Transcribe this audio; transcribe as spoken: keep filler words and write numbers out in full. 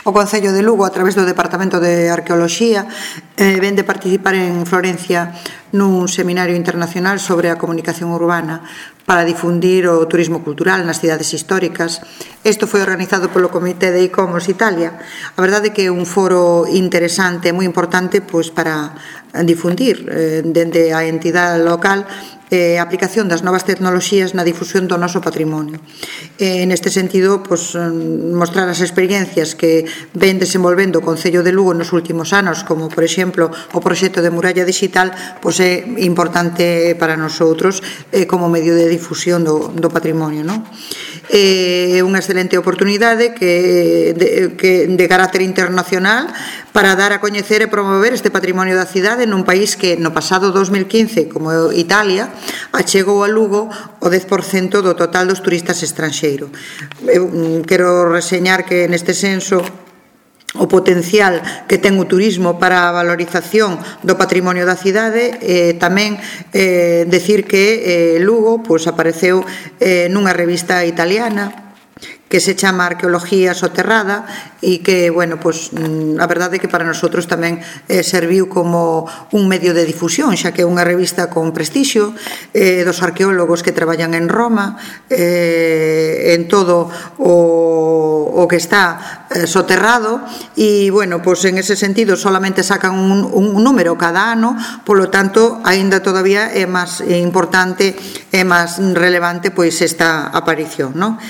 O Concello de Lugo, a través do Departamento de Arqueoloxía, eh, ven de participar en Florencia nun seminario internacional sobre a comunicación urbana para difundir o turismo cultural nas cidades históricas. Isto foi organizado polo Comité de ICOMOS Italia. A verdade é que é un foro interesante, moi importante, pois, para difundir eh, dende a entidade local eh, a aplicación das novas tecnoloxías na difusión do noso patrimonio. Eh, neste sentido, pues, mostrar as experiencias que ven desenvolvendo o Concello de Lugo nos últimos anos, como, por exemplo, o proxecto de Muralla Digital, pues, é importante para nosotros eh, como medio de difusión do, do patrimonio, non? É eh, unha excelente oportunidade que de, que de carácter internacional para dar a coñecer e promover este patrimonio da cidade nun país que no pasado dos mil quince, como Italia, achegou a Lugo o dez por cento do total dos turistas estranxeiros. Eu quero reseñar que neste senso o potencial que ten o turismo para a valorización do patrimonio da cidade, eh, tamén eh, decir que eh, Lugo pues, apareceu eh, nunha revista italiana que se chama Arqueología Soterrada e que, bueno, pues, a verdade é que para nosotros tamén eh, serviu como un medio de difusión, xa que é unha revista con prestixio eh, dos arqueólogos que traballan en Roma, eh, en todo o, o que está eh, soterrado e, bueno, pues, en ese sentido solamente sacan un, un número cada ano, polo tanto, aínda todavía é máis importante, é máis relevante, pois, esta aparición, non?